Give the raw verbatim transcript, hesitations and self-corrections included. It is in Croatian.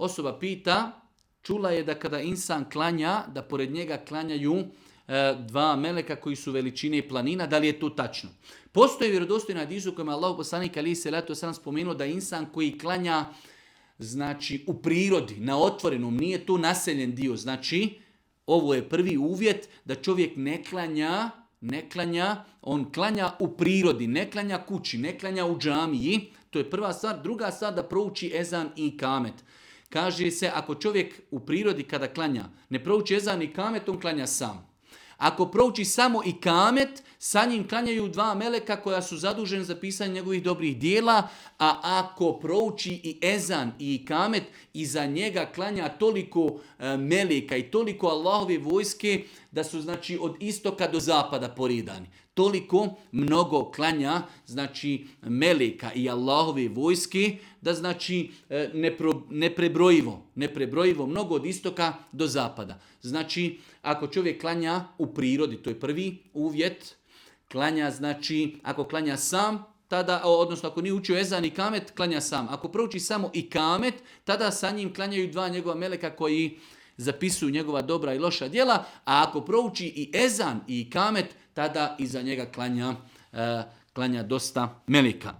Osoba pita, čula je da kada insan klanja, da pored njega klanjaju e, dva meleka koji su veličine planina, da li je to tačno? Postoji vjerodostojna hadis u kojem Allah poslanik alejhi selatu vesselam spomenuo da insan koji klanja znači u prirodi, na otvorenom, nije to naseljen dio. Znači, ovo je prvi uvjet da čovjek ne klanja, ne klanja, on klanja u prirodi, ne klanja kući, ne klanja u džamiji. To je prva stvar. Druga stvar da prouči ezan i kamet. Kaže se, ako čovjek u prirodi kada klanja, ne prouči ezan i kamet, on klanja sam. Ako prouči samo i kamet, sa njim klanjaju dva meleka koja su zaduženi za pisanje njegovih dobrih dijela, a ako prouči i ezan i kamet, iza njega klanja toliko e, meleka i toliko Allahove vojske da su znači od istoka do zapada poredani. Toliko mnogo klanja znači meleka i Allahove vojske da znači e, nepro, neprebrojivo, neprebrojivo mnogo od istoka do zapada. Znači ako čovjek klanja u prirodi, to je prvi uvjet, klanja znači ako klanja sam, tada, odnosno ako nije učio ezan i kamet, klanja sam. Ako prouči samo i kamet, tada sa njim klanjaju dva njegova meleka koji zapisuju njegova dobra i loša djela, a ako prouči i ezan i kamet, tada iza njega klanja, uh, klanja dosta meleka.